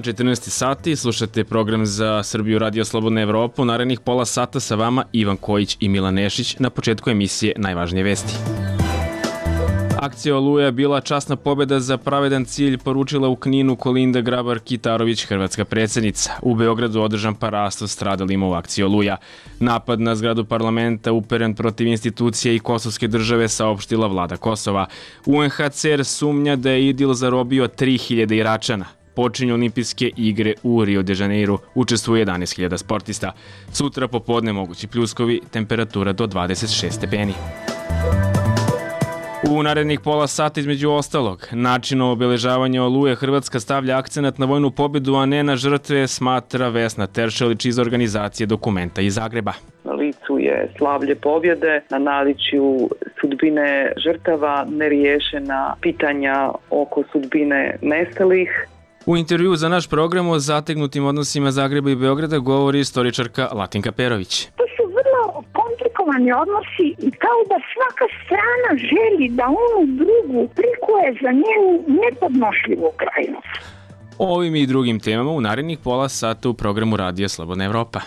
dan, 14 sati, slušate program za Srbiju Radio Slobodna Evropa. U narednih pola sata sa vama Ivan Kojić i Milan Nešić. Na početku emisije najvažnije vesti. Akcija Oluja je bila časna pobjeda za pravedan cilj, poručila u Kninu Kolinda Grabar-Kitarović, hrvatska predsjednica. U Beogradu održan parasto stradalima u akciji Oluja. Napad na zgradu parlamenta uperen protiv institucije i kosovske države, saopštila vlada Kosova. UNHCR sumnja da je IDIL zarobio 3000 Iračana. Počinju olimpijske igre u Rio de Janeiru, učestvuje 11.000 sportista. Sutra popodne mogući pljuskovi, temperatura do 26 stepeni. U narednih pola sata između ostalog, načinu obeležavanja Oluje Hrvatska stavlja akcenat na vojnu pobjedu, a ne na žrtve, smatra Vesna Teršelić iz organizacije Dokumenta iz Zagreba. Na licu je slavlje pobjede, na naličju sudbine žrtava, neriješena pitanja oko sudbine nestalih. U intervju za naš program o zategnutim odnosima Zagreba i Beograda govori istoričarka Latinka Perović. To su vrlo komplikovani odnosi i kao da svaka strana želi da onu drugu prikuje za njenu nepodnošljivu krajnost. O ovim i drugim temama u narednih pola sata u programu Radija Slobodna Evropa.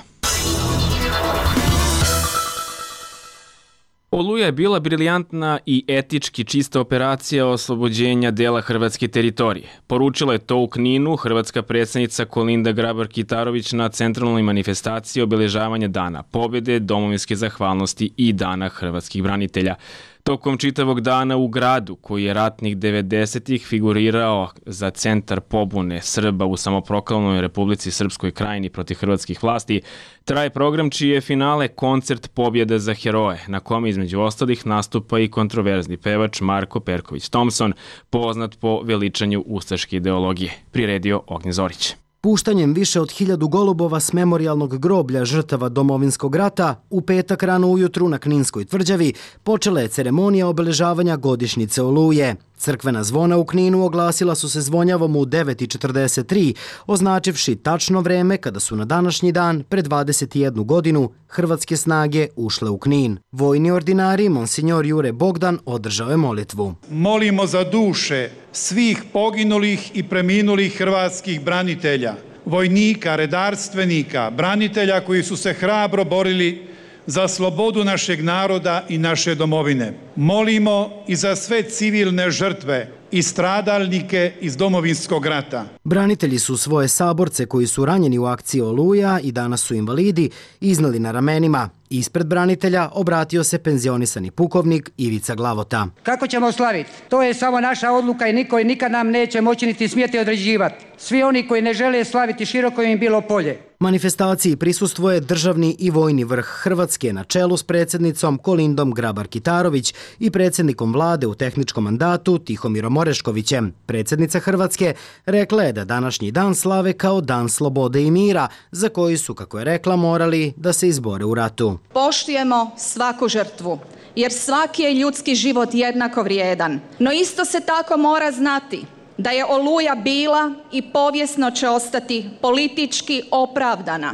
Oluja je bila briljantna i etički čista operacija oslobođenja dela hrvatske teritorije. Poručila je to u Kninu hrvatska predsjednica Kolinda Grabar-Kitarović na centralnoj manifestaciji obeležavanja Dana pobjede, domovinske zahvalnosti i Dana hrvatskih branitelja. Tokom čitavog dana u gradu, koji je ratnih 90-ih figurirao za centar pobune Srba u samoproklamnoj Republici Srpskoj Krajini protiv hrvatskih vlasti, traje program čiji je finale koncert Pobjeda za heroje, na kome između ostalih nastupa i kontroverzni pevač Marko Perković Thompson, poznat po veličanju ustaške ideologije, priredio Ognjen Zorić. Puštanjem više od 1000 golubova s memorijalnog groblja žrtava Domovinskog rata, u petak rano ujutru na Kninskoj tvrđavi počela je ceremonija obeležavanja godišnjice Oluje. Crkvena zvona u Kninu oglasila su se zvonjavom u 9:43, označivši tačno vreme kada su na današnji dan, pred 21 godinu, hrvatske snage ušle u Knin. Vojni ordinari, monsignor Jure Bogdan, održao je molitvu. Molimo za duše svih poginulih i preminulih hrvatskih branitelja, vojnika, redarstvenika, branitelja koji su se hrabro borili za slobodu našeg naroda i naše domovine. Molimo i za sve civilne žrtve i stradalnike iz Domovinskog rata. Branitelji su svoje saborce koji su ranjeni u akciji Oluja i danas su invalidi iznali na ramenima. Ispred branitelja obratio se penzionisani pukovnik Ivica Glavota. Kako ćemo slaviti? To je samo naša odluka i niko i nikad nam neće moći niti smjeti određivati. Svi oni koji ne žele slaviti, široko im bilo polje. Manifestaciji prisustvuje državni i vojni vrh Hrvatske na čelu s predsjednicom Kolindom Grabar-Kitarović i predsjednikom vlade u tehničkom mandatu Tihomirom Oreškovićem. Predsjednica Hrvatske rekla je da današnji dan slave kao dan slobode i mira, za koji su, kako je rekla, morali da se izbore u ratu. Poštujemo svaku žrtvu, jer svaki je ljudski život jednako vrijedan. No isto se tako mora znati da je Oluja bila i povijesno će ostati politički opravdana,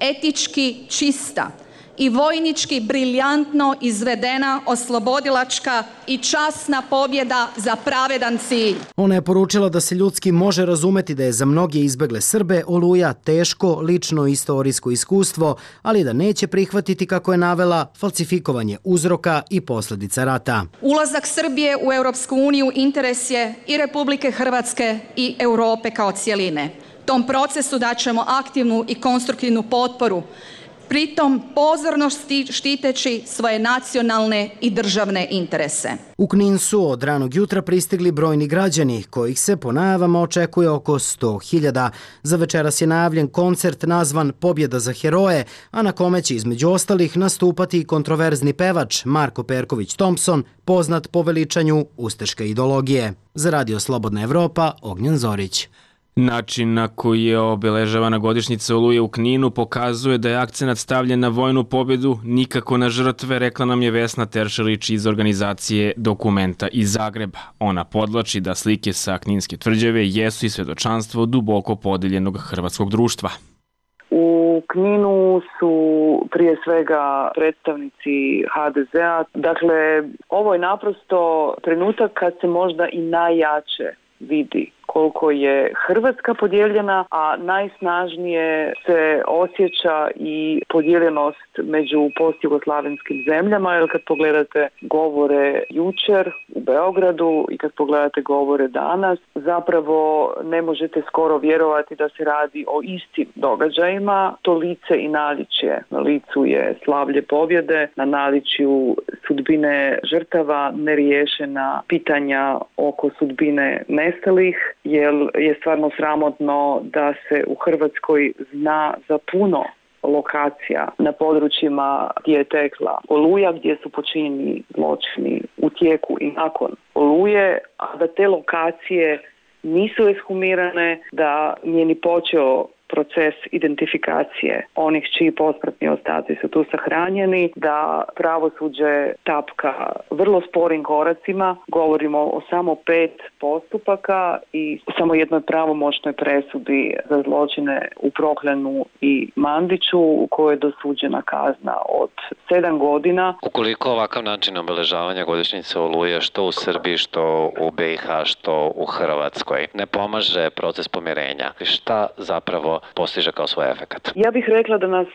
etički čista i vojnički briljantno izvedena oslobodilačka i časna pobjeda za pravedan cilj. Ona je poručila da se ljudski može razumeti da je za mnoge izbegle Srbe Oluja teško lično istorijsko iskustvo, ali da neće prihvatiti, kako je navela, falsifikovanje uzroka i posljedica rata. Ulazak Srbije u Europsku uniju interes je i Republike Hrvatske i Europe kao cjeline. Tom procesu daćemo aktivnu i konstruktivnu potporu, pritom pozorno štiteći svoje nacionalne i državne interese. U Knin su od ranog jutra pristigli brojni građani, kojih se po najavama očekuje oko 100.000. Za večeras je najavljen koncert nazvan Pobjeda za heroje, a na kome će između ostalih nastupati kontroverzni pevač Marko Perković Thompson, poznat po veličanju ustaške ideologije. Za Radio Slobodna Evropa, Ognjen Zorić. Način na koji je obeležavana godišnjica Oluje u Kninu pokazuje da je akcenat stavljen na vojnu pobjedu, nikako na žrtve, rekla nam je Vesna Teršelić iz organizacije Dokumenta iz Zagreba. Ona podvlači da slike sa Kninske tvrđave jesu i svjedočanstvo duboko podeljenog hrvatskog društva. U Kninu su prije svega predstavnici HDZ-a. Dakle, ovo je naprosto trenutak kad se možda i najjače vidi koliko je Hrvatska podijeljena, a najsnažnije se osjeća i podijeljenost među postjugoslavenskim zemljama, jer kad pogledate govore jučer u Beogradu i kad pogledate govore danas, zapravo ne možete skoro vjerovati da se radi o istim događajima. To lice i naličje. Na licu je slavlje pobjede, na naličju sudbine žrtava, neriješena pitanja oko sudbine nestalih, jer je stvarno sramotno da se u Hrvatskoj zna za puno lokacija na područjima gdje je tekla Oluja, gdje su počinjeni zločini u tijeku i nakon Oluje, a da te lokacije nisu ekshumirane, da nije ni počeo proces identifikacije onih čiji posmrtni ostaci su tu sahranjeni, da pravosuđe tapka vrlo sporim koracima. Govorimo o samo 5 postupaka i samo jednoj pravomoćnoj presudi za zločine u Proklenu i Mandiću, u kojoj je dosuđena kazna od 7 godina. Ukoliko ovakav način obeležavanja godišnjice Oluje, što u Srbiji, što u BiH, što u Hrvatskoj, ne pomaže proces pomirenja, šta zapravo postiže kao svoj efekat? Ja bih rekla da nas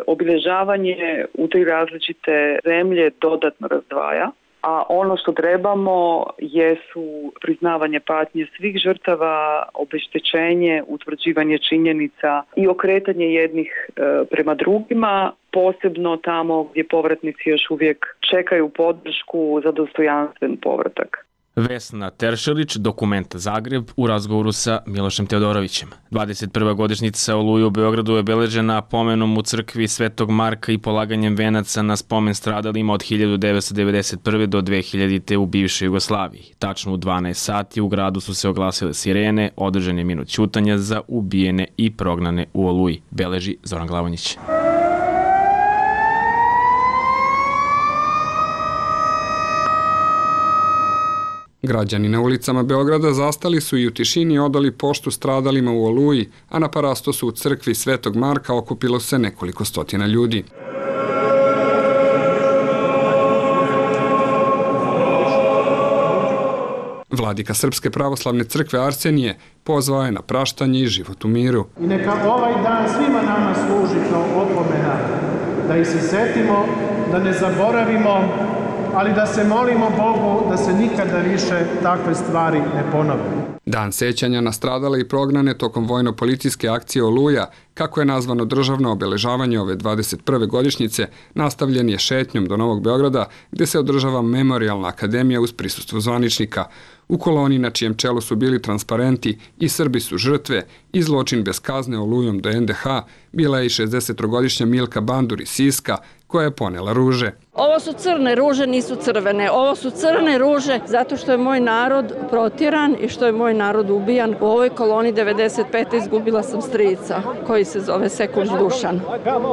obilježavanje u 3 različite zemlje dodatno razdvaja, a ono što trebamo jesu priznavanje patnje svih žrtava, obeštećenje, utvrđivanje činjenica i okretanje jednih prema drugima, posebno tamo gdje povratnici još uvijek čekaju podršku za dostojanstven povratak. Vesna Teršelić, Dokument Zagreb, u razgovoru sa Milošem Teodorovićem. 21. godišnjica Oluje u Beogradu je obeležena pomenom u crkvi Svetog Marka i polaganjem venaca na spomen stradalima od 1991. do 2000. u bivšoj Jugoslaviji. Tačno u 12 sati u gradu su se oglasile sirene, održan je minut ćutanja za ubijene i prognane u Oluji, beleži Zoran Glavonjić. Građani na ulicama Beograda zastali su i u tišini odali poštu stradalima u Oluji, a na parastosu u crkvi Svetog Marka okupilo se nekoliko stotina ljudi. Vladika Srpske pravoslavne crkve Arsenije pozvao je na praštanje i život u miru. I neka ovaj dan svima nama služi kao opomena, da ih se setimo, da ne zaboravimo, ali da se molimo Bogu da se nikada više takve stvari ne ponove. Dan sećanja na stradale i prognane tokom vojno-policijske akcije Oluja, kako je nazvano državno obeležavanje ove 21. godišnjice, nastavljen je šetnjom do Novog Beograda, gde se održava Memorijalna akademija uz prisustvo zvaničnika. U koloni na čijem čelu su bili transparenti i Srbi su žrtve i zločin bez kazne Olujom do NDH, bila je i 60-godišnja Milka Bandur iz Siska, koja je ponela ruže. Ovo su crne ruže, nisu crvene. Ovo su crne ruže zato što je moj narod protjeran i što je moj narod ubijan. U ovoj koloni 95. izgubila sam strica koji se zove Sekund Dušan,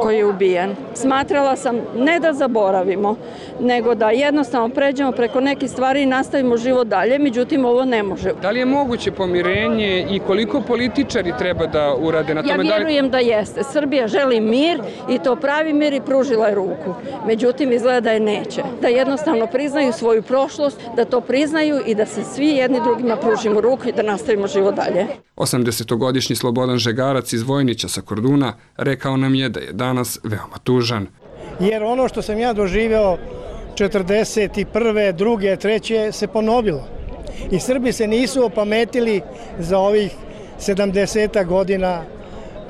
koji je ubijen. Smatrala sam ne da zaboravimo, nego da jednostavno pređemo preko nekih stvari i nastavimo život dalje, međutim ovo ne može. Da li je moguće pomirenje i koliko političari treba da urade na tome? Ja vjerujem da jeste. Srbija želi mir i to pravi mir i pružila je ruku. Međutim, izgleda da je neće. Da jednostavno priznaju svoju prošlost, da to priznaju i da se svi jedni drugima pružimo ruku i da nastavimo život dalje. 80-godišnji Slobodan Žegarac iz Vojnića sa Korduna rekao nam je da je danas veoma tužan. Jer ono što sam ja doživeo 41., 2., 3. se ponovilo. I Srbi se nisu opametili za ovih 70 godina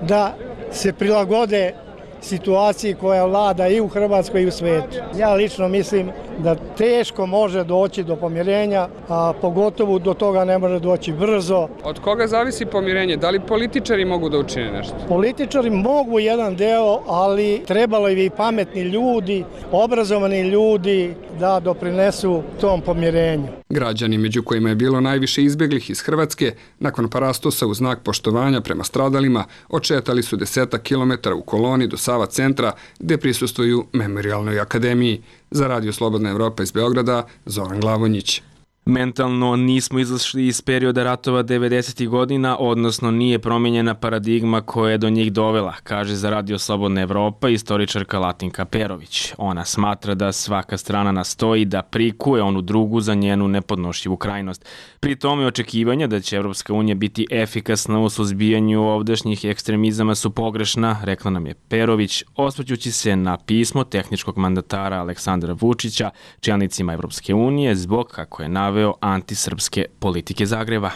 da se prilagode situaciji koja vlada i u Hrvatskoj i u svijetu. Ja lično mislim da teško može doći do pomirenja, a pogotovo do toga ne može doći brzo. Od koga zavisi pomirenje? Da li političari mogu da učine nešto? Političari mogu jedan deo, ali trebalo je i pametni ljudi, obrazovani ljudi da doprinesu tom pomirenju. Građani, među kojima je bilo najviše izbjeglih iz Hrvatske, nakon parastosa u znak poštovanja prema stradalima, odšetali su 10 kilometara u koloni do Sava centra, gde prisustvuju Memorijalnoj akademiji. Za Radio Slobodna Evropa iz Beograda, Zoran Glavonjić. Mentalno nismo izašli iz perioda ratova 90. godina, odnosno nije promijenjena paradigma koja je do njih dovela, kaže za Radio Slobodna Evropa istoričarka Latinka Perović. Ona smatra da svaka strana nastoji da prikuje onu drugu za njenu nepodnošljivu krajnost. Pri tome očekivanja da će Evropska unija biti efikasna u suzbijanju ovdašnjih ekstremizama su pogrešna, rekla nam je Perović, osvrćući se na pismo tehničkog mandatara Aleksandra Vučića čelnicima Evropske unije zbog, kako je naveo, antisrpske politike Zagreba.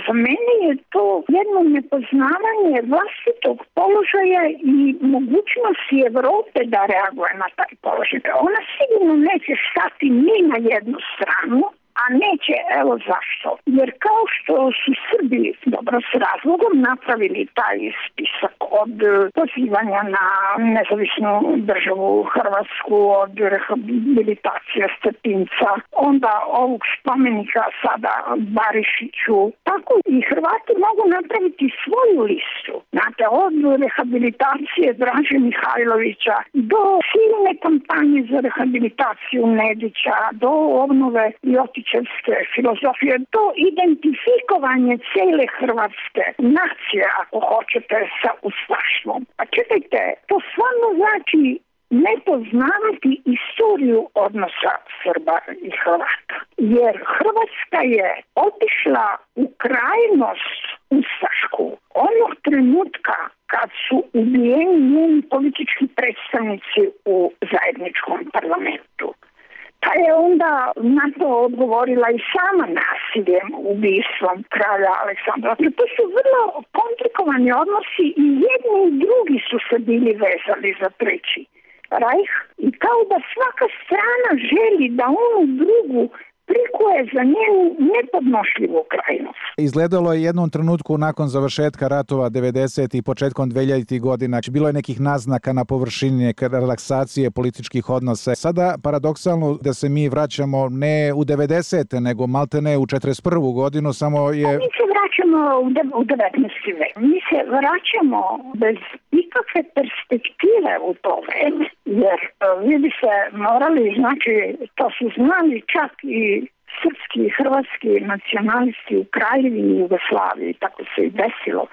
Za mene je to jedno nepoznavanje vlastitog položaja i mogućnosti Evrope da reaguje na taj položaj. Ona sigurno neće stati ni na jednu stranu, a neće, evo zašto. Jer kao što su Srbi dobro s razlogom napravili taj spisak od pozivanja na nezavisnu državu Hrvatsku, od rehabilitacije Stepinca, onda ovog spomenika sada Barišiću, tako i Hrvati mogu napraviti svoju listu. Znate, od rehabilitacije Draže Mihajlovića do silne kampanje za rehabilitaciju Nedića, do obnove Ljotićevske filozofije, do identifikovanje cele hrvatske nacije, ako hoćete, sa ustaštvom. Pa čekajte, to stvarno znači nepoznavati istoriju odnosa Srba i Hrvata. Jer Hrvatska je otišla u krajnost ustašku onog trenutka kad su ubijeni njeni politički predstavnici u zajedničkom parlamentu. Pa je onda na to odgovorila i sama nasiljem, ubistvom kralja Aleksandra. To su vrlo komplikovani odnosi i jedni i drugi su se bili vezali za treći Rajh i kao da svaka strana želi da onu drugu prikuje za njenu nepodnošljivu krajnost. Izgledalo je jednom trenutku nakon završetka ratova 90. i početkom 2000. godina. Bilo je nekih naznaka na površini relaksacije političkih odnosa. Sada paradoksalno da se mi vraćamo ne u 90. nego maltene u 41. godinu, samo je... Mi se vraćamo u 19. vek. Mi se vraćamo bez ikakve perspektive u to vreme. Jer vi bi se morali, znači, to su znali čak i srpski i hrvatski nacionalisti u Kraljevini Jugoslaviji, tako se i desilo.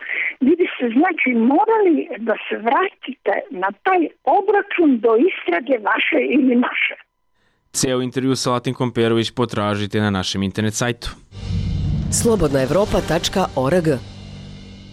Vi bi se, znači, morali da se vratite na taj obračun do istrage vaše ili naše. Ceo intervju sa Latinkom Perović potražite na našem internet sajtu. slobodnaevropa.org.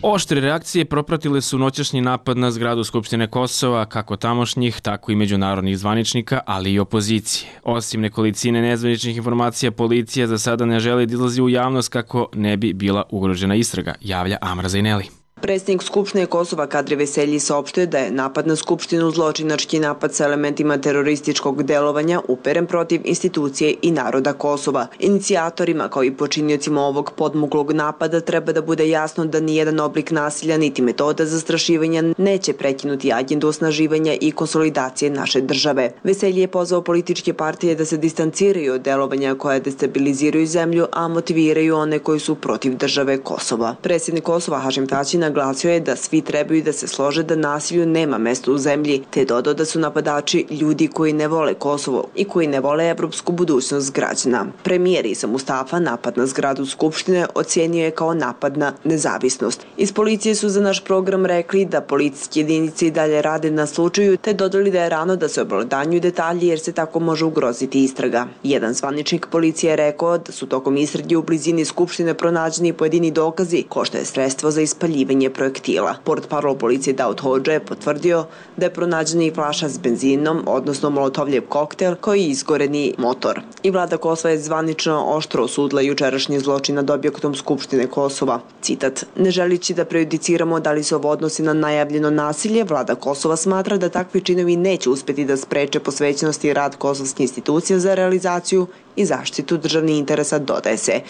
Oštre reakcije propratile su noćašnji napad na zgradu Skupštine Kosova, kako tamošnjih, tako i međunarodnih zvaničnika, ali i opozicije. Osim nekolicine nezvaničnih informacija, policija za sada ne želi da izlazi u javnost kako ne bi bila ugrožena istraga, javlja Amra Zajneli. Predsjednik Skupštine Kosova Kadri Veselji saopštio da je napad na Skupštinu zločinački napad sa elementima terorističkog delovanja uperen protiv institucije i naroda Kosova. Inicijatorima kao i počiniocima ovog podmuklog napada treba da bude jasno da nijedan oblik nasilja niti metoda zastrašivanja neće prekinuti agendu osnaživanja i konsolidacije naše države. Veselji je pozvao političke partije da se distanciraju od delovanja koje destabiliziraju zemlju, a motiviraju one koji su protiv države Kosova. Predsjednik Kosova Hašim Tači naglasio je da svi trebaju da se slože da nasilju nema mesta u zemlji, te dodao da su napadači ljudi koji ne vole Kosovo i koji ne vole evropsku budućnost građana. Premijer Isa Mustafa napad na zgradu Skupštine ocijenio je kao napad na nezavisnost. Iz policije su za naš program rekli da policijske jedinice i dalje rade na slučaju, te dodali da je rano da se obelodanjuju detalji jer se tako može ugroziti istraga. Jedan zvaničnik policije je rekao da su tokom istrage u blizini Skupštine pronađeni pojedini dokazi ko što je sredstvo za ispaljivanje projektila. Portparol policije Daud Hodža je potvrdio da je pronađena i flaša s benzinom, odnosno molotovljev koktel, koji je izgoreni motor. I vlada Kosova je zvanično oštro osudila jučerašnji zločin nad objektom Skupštine Kosova. Citat: "Ne želići da prejudiciramo da li se ovo odnosi na najavljeno nasilje, vlada Kosova smatra da takvi činovi neće uspeti da spreče posvećenost i rad kosovskih institucija za realizaciju i zaštitu državnih interesa", dodaje se.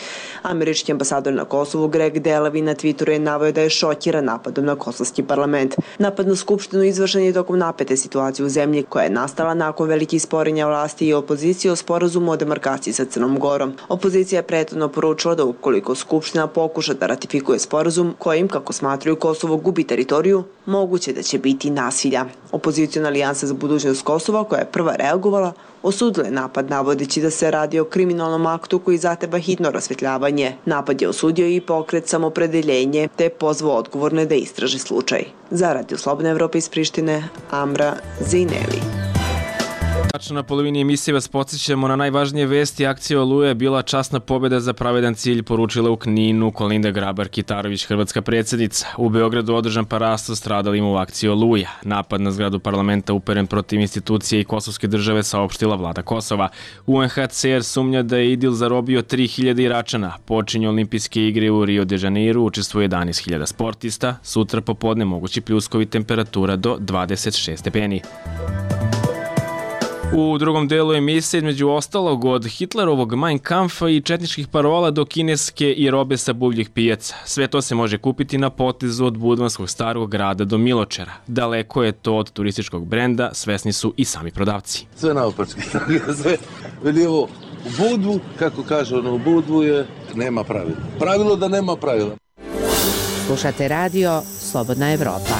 Američki ambasador na Kosovu Greg Delavi na Twitteru je naveo da je šokiran šokira napadom na kosovski parlament. Napad na skupštinu izvršen je tokom napete situacije u zemlji koja je nastala nakon velikih sporenja vlasti i opozicije o sporazumu o demarkaciji sa Crnom Gorom. Opozicija je prethodno poručila da ukoliko skupština pokuša da ratifikuje sporazum kojim, kako smatraju, Kosovo gubi teritoriju, moguće da će biti nasilja. Opozicijona alijansa za budućnost Kosova, koja je prva reagovala, osudila je napad navodeći da se radi o kriminalnom aktu koji zahteva hitno rasvetljavanje. Napad je osudio i pokret Samopredeljenje te je pozvao odgovorne da istraže slučaj. Za Radio Slobodna Evropa iz Prištine, Amra Zejneli. Tačno na polovini emisije vas podsjećamo na najvažnije vesti. Akcija Oluja je bila časna pobjeda za pravedan cilj, poručila u Kninu Kolinda Grabar-Kitarović, hrvatska predsjednica. U Beogradu održan parasto stradalima u akciji Oluja. Napad na zgradu parlamenta uperen protiv institucije i kosovske države, saopštila vlada Kosova. UNHCR sumnja da je IDIL zarobio 3000 Iračana. Počinju olimpijske igre u Rio de Janeiro, učestvuje 11.000 sportista. Sutra popodne mogući pljuskovi, temperatura do 26 stepeni. U drugom delu emisije, između ostalog, od Hitlerovog Mein Kampfa i četničkih parola do kineske i robe sa buvljih pijaca. Sve to se može kupiti na potezu od Budvanskog starog grada do Miločera. Daleko je to od turističkog brenda, svesni su i sami prodavci. Sve naopačke, sve veli ovo, u Budvu, kako kaže ono, u Budvu je nema pravila. Pravilo da nema pravila. Slušate radio Slobodna Evropa.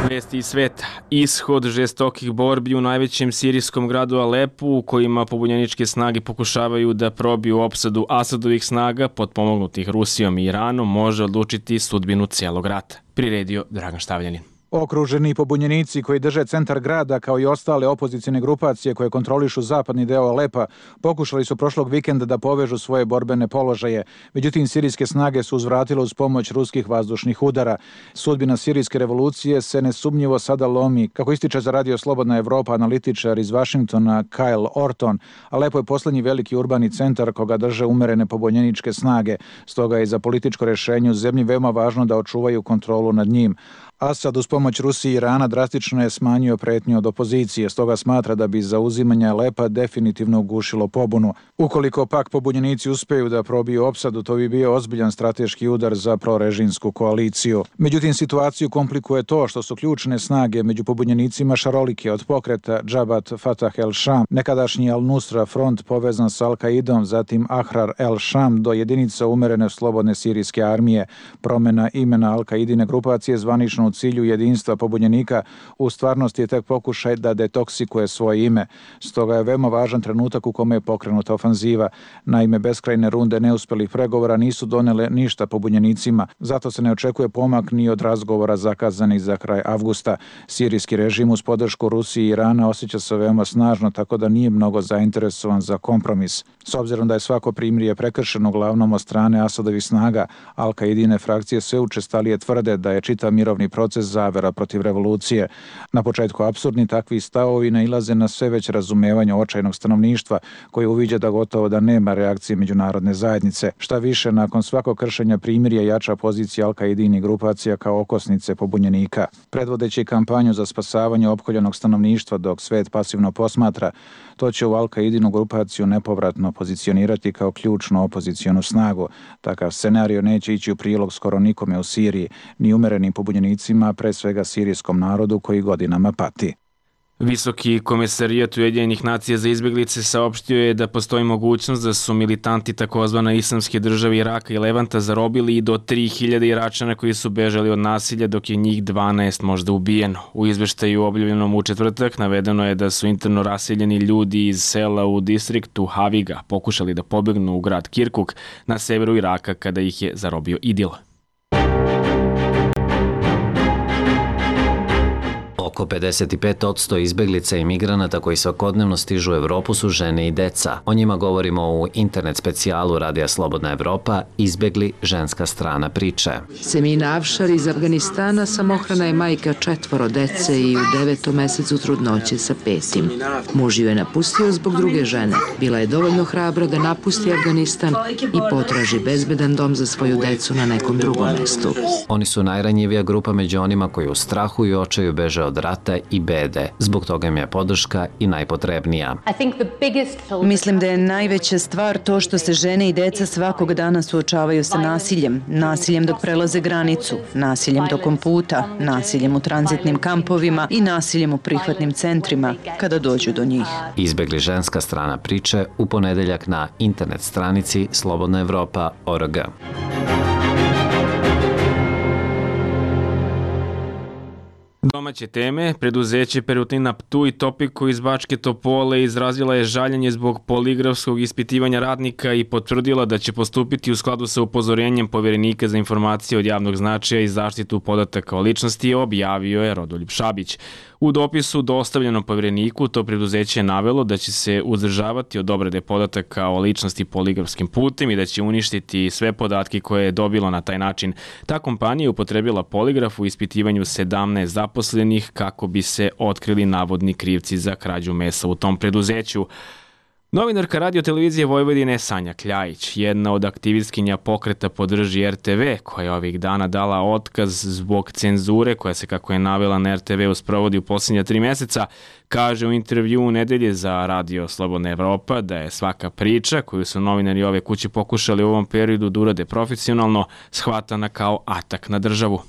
Vesti iz sveta. Ishod žestokih borbi u najvećem sirijskom gradu Alepu, u kojima pobunjeničke snage pokušavaju da probiju opsadu Asadovih snaga, potpomognutih Rusijom i Iranom, može odlučiti sudbinu cijelog rata. Priredio Dragan Štavljanin. Okruženi pobunjenici koji drže centar grada kao i ostale opozicijne grupacije koje kontrolišu zapadni deo Alepa pokušali su prošlog vikenda da povežu svoje borbene položaje. Međutim, sirijske snage su uzvratile uz pomoć ruskih vazdušnih udara. Sudbina sirijske revolucije se nesumnjivo sada lomi. Kako ističe za Radio Slobodna Evropa analitičar iz Vašingtona Kyle Orton, Alepo je posljednji veliki urbani centar koga drže umerene pobunjeničke snage. Stoga je za političko rješenje u zemlji veoma važno da očuvaju kontrolu nad njim. Asad uz pomoć Rusije i Irana drastično je smanjio pretnju od opozicije, stoga smatra da bi zauzimanje Alepa definitivno ugušilo pobunu. Ukoliko pak pobunjenici uspeju da probiju opsadu, to bi bio ozbiljan strateški udar za prorežimsku koaliciju. Međutim, situaciju komplikuje to što su ključne snage među pobunjenicima šarolike, od pokreta Džabat Fatah el-Sham, nekadašnji Al-Nusra front povezan s Al-Qaidom, zatim Ahrar el-Sham do jedinica umerene slobodne sirijske armije. Promjena imena Al-Qaidine grupacije zvanično u cilju jedinstva pobunjenika u stvarnosti je tek pokušaj da detoksikuje svoje ime. Stoga je veoma važan trenutak u kome je pokrenuta ofanziva. Naime, beskrajne runde neuspelih pregovora nisu donele ništa pobunjenicima, zato se ne očekuje pomak ni od razgovora zakazanih za kraj avgusta. Sirijski režim uz podršku Rusije i Irana osjeća se veoma snažno, tako da nije mnogo zainteresovan za kompromis. S obzirom da je svako primirje prekršeno uglavnom od strane Asadovih snaga, Al-Qaidine frakcije sve učestalije tvrde da je čitav mirovni proces zavera protiv revolucije. Na početku apsurdni takvi stavovi nailaze na sve veće razumevanje očajnog stanovništva koji uviđa da gotovo da nema reakcije međunarodne zajednice. Šta više, nakon svakog kršenja primirja jača pozicija Al-Qaidini grupacija kao okosnice pobunjenika. Predvodeći kampanju za spasavanje opkoljenog stanovništva dok svet pasivno posmatra, to će u Al-Qaidinu grupaciju nepovratno pozicionirati kao ključnu opozicionu snagu. Takav scenario neće ići u prilog skoro nikome u Siriji, ni umerenim pobunjenicima, pre svega sirijskom narodu koji godinama pati. Visoki komesarijat Ujedinjenih nacija za izbjeglice saopštio je da postoji mogućnost da su militanti takozvane islamske države Iraka i Levanta zarobili i do 3000 Iračana koji su bežali od nasilja, dok je njih 12 možda ubijeno. U izveštaju objavljenom u četvrtak navedeno je da su interno raseljeni ljudi iz sela u distriktu Haviga pokušali da pobegnu u grad Kirkuk na severu Iraka kada ih je zarobio IDIL. Oko 55% izbeglica i migranata koji svakodnevno stižu u Evropu su žene i deca. O njima govorimo u internet specijalu Radija Slobodna Evropa Izbegli, ženska strana priče. Semina Avšar iz Afganistana samohrana je majka 4 dece i u 9. mesecu trudnoće sa 5. Muž ju je napustio zbog druge žene. Bila je dovoljno hrabra da napusti Afganistan i potraži bezbedan dom za svoju decu na nekom drugom mestu. Oni su najranjivija grupa među onima koji u strahu i očaju beže od rata i bede. Zbog toga im je podrška i najpotrebnija. Mislim da je najveća stvar to što se žene i deca svakog dana suočavaju sa nasiljem. Nasiljem dok prelaze granicu, nasiljem tokom puta, nasiljem u tranzitnim kampovima i nasiljem u prihvatnim centrima kada dođu do njih. Izbegli ženska strana priče u ponedeljak na internet stranici slobodnaevropa.org. Domaće teme, preduzeće Perutina Ptuj Topiku iz Bačke Topole izrazila je žaljenje zbog poligrafskog ispitivanja radnika i potvrdila da će postupiti u skladu sa upozorenjem Poverenika za informacije od javnog značaja i zaštitu podataka o ličnosti, objavio je Rodoljub Šabić. U dopisu dostavljenom Povereniku to preduzeće je navelo da će se uzdržavati od obrade podataka o ličnosti poligrafskim putem i da će uništiti sve podatke koje je dobilo na taj način. Ta kompanija je upotrebila poligraf u ispitivanju 17 zaposlenih kako bi se otkrili navodni krivci za krađu mesa u tom preduzeću. Novinarka Radio televizije Vojvodine Sanja Kljajić, jedna od aktivistkinja pokreta Podrži RTV, koja je ovih dana dala otkaz zbog cenzure koja se, kako je navela, na RTV-u sprovodi u posljednja 3 meseca, kaže u intervju u nedelje za Radio Slobodna Evropa da je svaka priča koju su novinari ove kuće pokušali u ovom periodu da urade profesionalno shvatana kao atak na državu.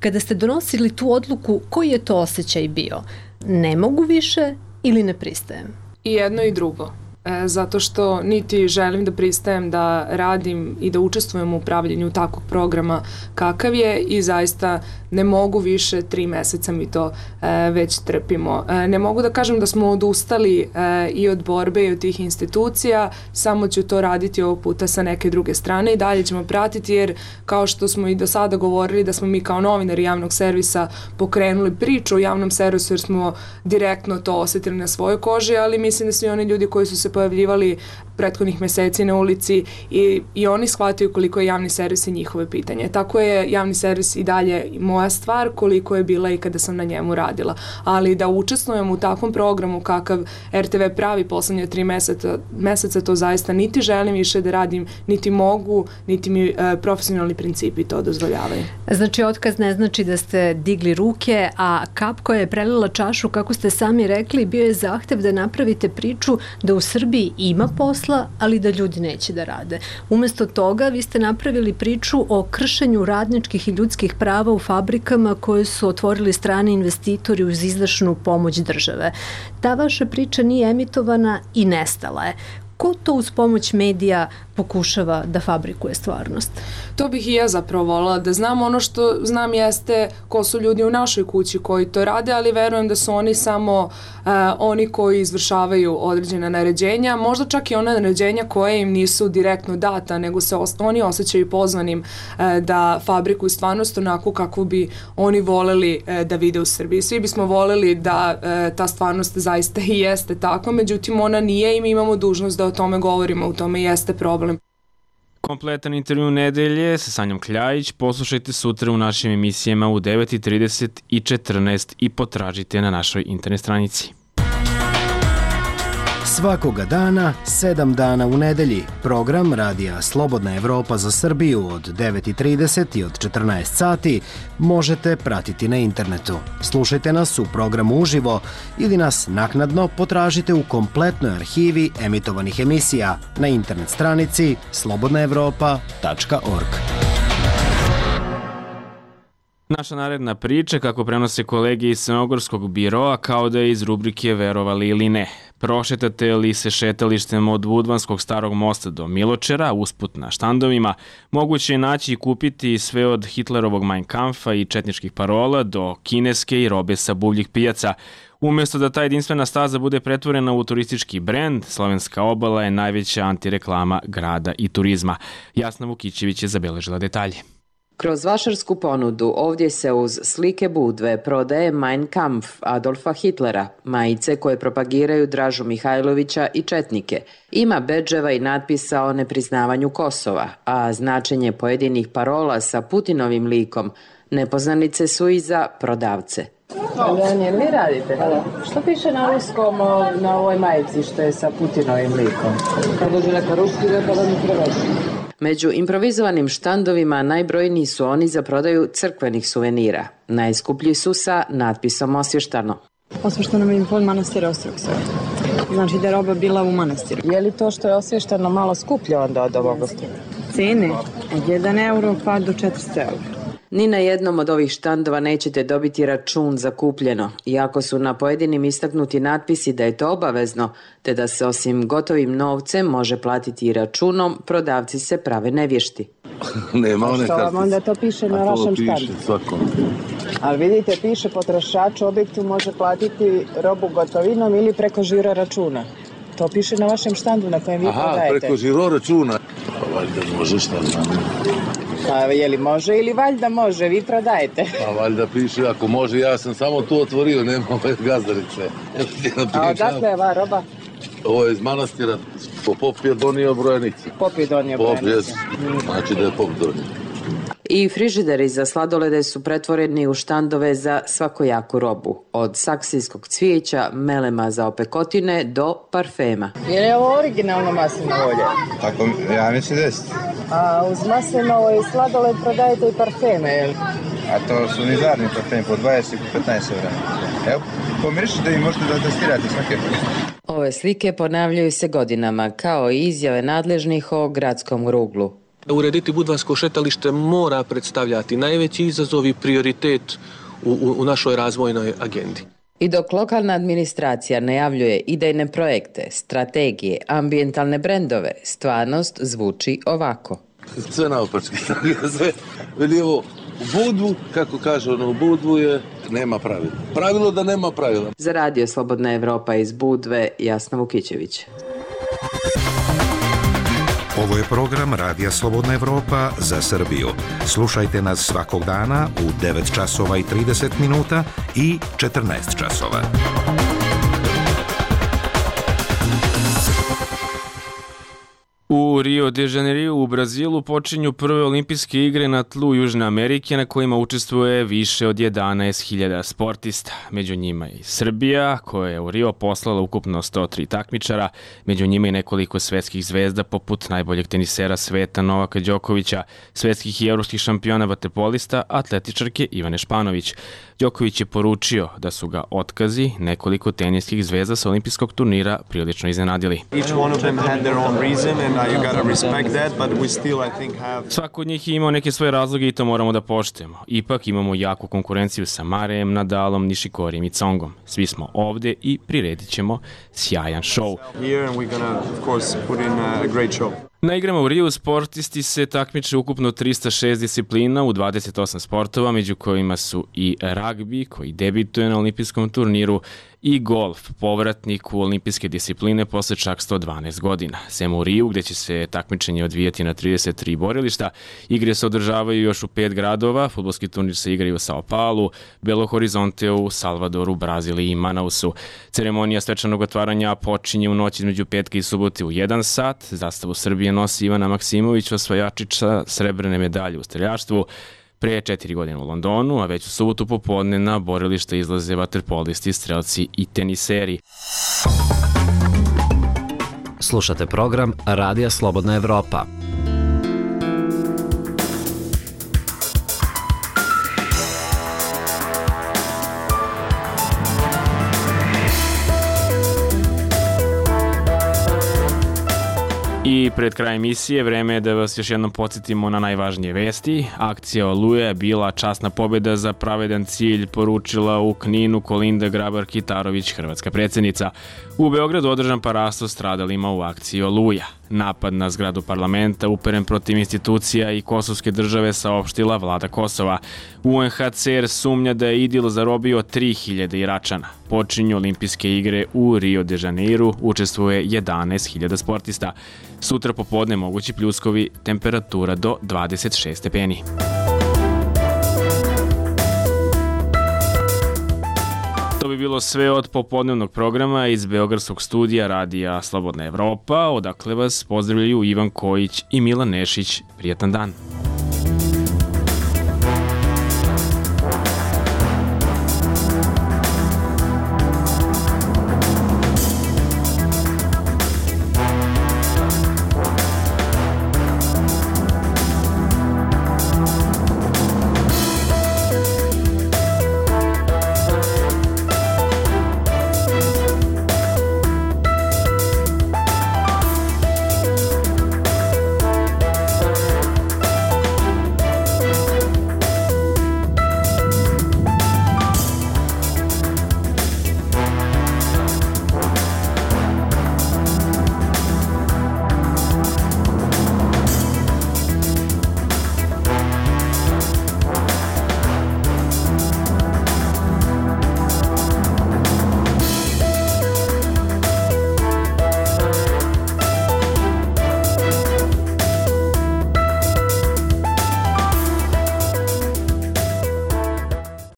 Kada ste donosili tu odluku, koji je to osjećaj bio? Ne mogu više ili ne pristajem? I jedno i drugo. Zato što niti želim da pristajem da radim i da učestvujem u upravljanju takvog programa kakav je i zaista ne mogu više, 3 meseca mi to već trpimo. Ne mogu da kažem da smo odustali i od borbe i od tih institucija, samo ću to raditi ovog puta sa neke druge strane i dalje ćemo pratiti jer kao što smo i do sada govorili da smo mi kao novinari javnog servisa pokrenuli priču o javnom servisu jer smo direktno to osetili na svojoj koži, ali mislim da svi oni ljudi koji su se pojavljivali prethodnih meseci na ulici i oni shvataju koliko je javni servis i njihove pitanje. Tako je javni servis i dalje moja stvar koliko je bila i kada sam na njemu radila. Ali da učestvujem u takvom programu kakav RTV pravi poslednje 3 meseca, to zaista niti želim više da radim, niti mogu, niti mi profesionalni principi to dozvoljavaju. Znači, otkaz ne znači da ste digli ruke, a kap koja je prelila čašu, kako ste sami rekli, bio je zahtev da napravite priču da u Srbiji ima posla, ali da ljudi neće da rade. Umesto toga, vi ste napravili priču o kršenju radničkih i ljudskih prava u fabrikama koje su otvorili strani investitori uz izdašnu pomoć države. Ta vaša priča nije emitovana i nestala je. Ko to uz pomoć medija pokušava da fabrikuje stvarnost? To bih i ja zapravo volila da znam. Ono što znam jeste ko su ljudi u našoj kući koji to rade, ali verujem da su oni samo oni koji izvršavaju određena naređenja, možda čak i ona naređenja koje im nisu direktno data, nego se oni osjećaju pozvanim da fabrikuju stvarnost onako kako bi oni voleli da vide u Srbiji. Svi bismo voleli da ta stvarnost zaista i jeste tako, međutim ona nije i mi imamo dužnost da o tome govorimo, u tome jeste problem. Kompletan intervju nedelje sa Sanjom Kljajić poslušajte sutra u našim emisijama u 9:30 i 14 i potražite na našoj internet stranici. Svakoga dana, 7 dana u nedelji, program Radija Slobodna Evropa za Srbiju od 9:30 i od 14 sati možete pratiti na internetu. Slušajte nas u programu uživo ili nas naknadno potražite u kompletnoj arhivi emitovanih emisija na internet stranici slobodnaevropa.org. Naša naredna priča, kako prenose kolege iz Crnogorskog biroa, kao da je iz rubrike Verovali ili ne. Prošetate li se šetalištem od Budvanskog starog mosta do Miločera, usput na štandovima, moguće je naći i kupiti sve od Hitlerovog Mein Kampfa i četničkih parola do kineske i robe sa buvljih pijaca. Umjesto da ta jedinstvena staza bude pretvorena u turistički brend, Slovenska obala je najveća antireklama grada i turizma. Jasna Vukićević je zabeležila detalje. Kroz vašarsku ponudu ovdje se uz slike Budve prodaje Mein Kampf Adolfa Hitlera, majice koje propagiraju Dražu Mihajlovića i četnike. Ima bedževa i natpisa o nepriznavanju Kosova, a značenje pojedinih parola sa Putinovim likom nepoznanice su i za prodavce. Daniel, vi radite? Što piše na ruskom na ovoj majici što je sa Putinovim likom? Kad dođe neka ruski, da mi preveći. Među improvizovanim štandovima najbrojniji su oni za prodaju crkvenih suvenira. Najskuplji su sa natpisom Osvještano. Osvještano mi pod manastira Ostrog Sveta. Znači da je roba bila u manastiru. Je li to što je Osvještano malo skuplje onda od ovoga? Cene od 1 euro pa do 400 eura. Ni na jednom od ovih štandova nećete dobiti račun za kupljeno, iako su na pojedinim istaknuti natpisi da je to obavezno, te da se osim gotovim novcem može platiti i računom, prodavci se prave nevješti. Nema one kartice. Što vam onda to piše na vašem štandu? Svakom. Ali vidite, piše potrošač u objektu može platiti robu gotovinom ili preko žiro računa. To piše na vašem štandu na kojem vi prodajete. Aha, preko žiro računa. Valjda može, šta znam. Pa je li može ili valjda može, vi prodajete? Pa valjda piše, ako može, ja sam samo tu otvorio, nema ove gazdarice. A odakle je ova roba? Ovo je iz manastira, pop je donio brojanicu. Pop je donio brojanicu. Znači da je pop donio. I frižideri za sladolede su pretvoreni u štandove za svakojaku robu. Od saksijskog cvijeća, melema za opekotine do parfema. Je li ovo originalno maslinovo ulje? Tako, ja mislim da jeste. A uz maslinovo i sladoled prodajete i parfeme, je li? A to su nizarni parfemi po 20 i po 15 eura. Evo, pomirišite i možete da testirate svake. Ove slike ponavljaju se godinama, kao i izjave nadležnih o gradskom ruglu. Urediti budvansko šetalište mora predstavljati najveći izazov i prioritet u našoj razvojnoj agendi. I dok lokalna administracija najavljuje idejne projekte, strategije, ambijentalne brendove, stvarnost zvuči ovako. Sve naopačke, sve lijevo u Budvu, kako kaže ono, u Budvu je nema pravila. Pravilo da nema pravila. Za Radio Slobodna Evropa iz Budve, Jasna Vukićević. Ovo je program Radija Slobodna Evropa za Srbiju. Slušajte nas svakog dana u 9 časova i 30 minuta i 14 časova. U Rio de Janeiro u Brazilu počinju prve olimpijske igre na tlu Južne Amerike na kojima učestvuje više od 11.000 sportista. Među njima i Srbija, koja je u Rio poslala ukupno 103 takmičara, među njima i nekoliko svetskih zvezda poput najboljeg tenisera sveta Novaka Đokovića, svetskih i evropskih šampiona vaterpolista, atletičarke Ivane Španović. Đoković je poručio da su ga otkazi nekoliko teniskih zvezda sa olimpijskog turnira prilično iznenadili. Svako od njih je imao neke svoje razloge i to moramo da poštujemo. Ipak imamo jaku konkurenciju sa Marejem, Nadalom, Nišikorijem i Congom. Svi smo ovde i priredit ćemo sjajan šou. Na igrama u Riju sportisti se takmiče ukupno 306 disciplina u 28 sportova, među kojima su i ragbi, koji debituje na olimpijskom turniru, i golf, povratnik u olimpijske discipline posle čak 112 godina. Sem u Riju, gde će se takmičenje odvijati na 33 borilišta, igre se održavaju još u 5 gradova, fudbalski turnir se igraju u Sao Paulu, Belo Horizonteu, Salvadoru, Braziliji i Manausu. Ceremonija svečanog otvaranja počinje u noć između petka i subote u 1 sat. Zastavu Srbije nosi Ivana Maksimović, osvajačica srebrne medalje u streljaštvu. Pre 4 godine u Londonu, a već u subotu popodne na borilište izlaze vaterpolisti, strelci i teniseri. Slušate program Radija Slobodna Evropa. I pred kraj emisije vreme je da vas još jednom podsjetimo na najvažnije vesti. Akcija Oluja je bila časna pobjeda za pravedan cilj, poručila u Kninu Kolinda Grabar-Kitarović, hrvatska predsjednica. U Beogradu održan parasto stradalima u akciji Oluja. Napad na zgradu parlamenta uperen protiv institucija i kosovske države saopštila vlada Kosova. UNHCR sumnja da je IDIL zarobio 3000 Iračana. Počinju olimpijske igre u Rio de Janeiro, učestvuje 11.000 sportista. Sutra popodne mogući pljuskovi, temperatura do 26 stepeni. To bi bilo sve od popodnevnog programa iz beogradskog studija Radija Slobodna Evropa, odakle vas pozdravljaju Ivan Kojić i Milan Nešić. Prijatan dan!